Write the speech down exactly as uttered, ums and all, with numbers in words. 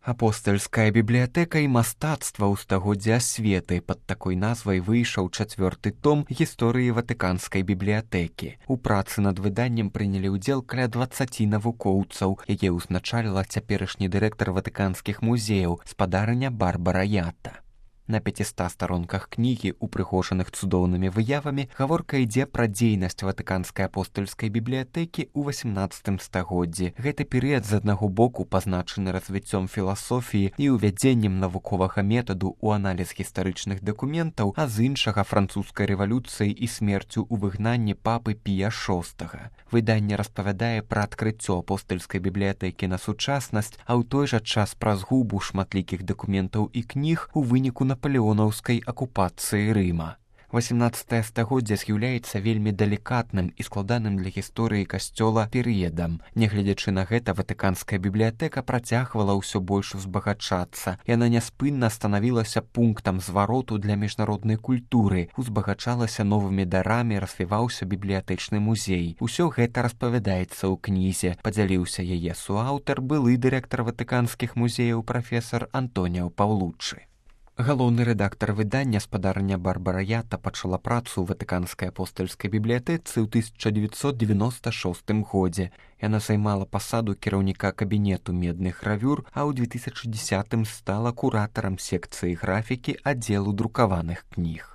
Апостальская бібліятэка і мастацтва ў стагоддзі асветы пад такой назвай выйшаў чацвёрты том гісторыі ватыканскай бібліятэкі. У працы над выданнем прынялі ўдзел каля дваццаці навукоўцаў, яе ўзначаліла цяперашні дырэктар ватыканскіх музеяў, спадарыня Барбара Ята. На пяціста старонках кнігі, упрыгожаных цудоўнымі выявамі, гаворка ідзе пра дзейнасць ватыканскай апостальскай бібліятэкі ў васямнаццатым стагоддзі. Гэты перыяд з аднаго боку пазначаны развіццём філасофіі і ўвядзеннем навуковага метаду ў аналіз гістарычных дакументаў, а з іншага французскай рэвалюцыяй і смерцю ў выгнанні папы Пія шостага. Выданне распавядае пра адкрыццё апостальскай бібліятэкі на сучаснасць, а ў той жа час пра згубу шматлікіх дакументаў і кніг у выніку напалеонаўскай акупацыі Рыма. васямнаццатае стагоддзе з'яўляецца вельмі далікатным і складаным для гісторыі касцёла перыядам. Нягледзячы на гэта, ватыканская бібліятэка працягвала ўсё больш узбагачацца. Яна няспынна станавілася пунктам звароту для міжнароднай культуры, узбагачалася новымі дарамі, развіваўся бібліятэчны музей. Усё гэта распавядаецца ў кнізе. Падзяліўся яе суаўтар, былы дырэктар ватыканскіх музеяў прафесар Антоніо Паўлуччы. Галоўны рэдактар выдання, спадарыня Барбара Ята, пачала працу ў ватыканскай апостальскай бібліятэцы ў тысяча дзевяцьсот дзевяноста шостым годзе. Яна займала пасаду кіраўніка кабінету медных гравюр, а ў две тысячы дзесятым стала куратарам секцыі графікі аддзелу друкаваных кніг.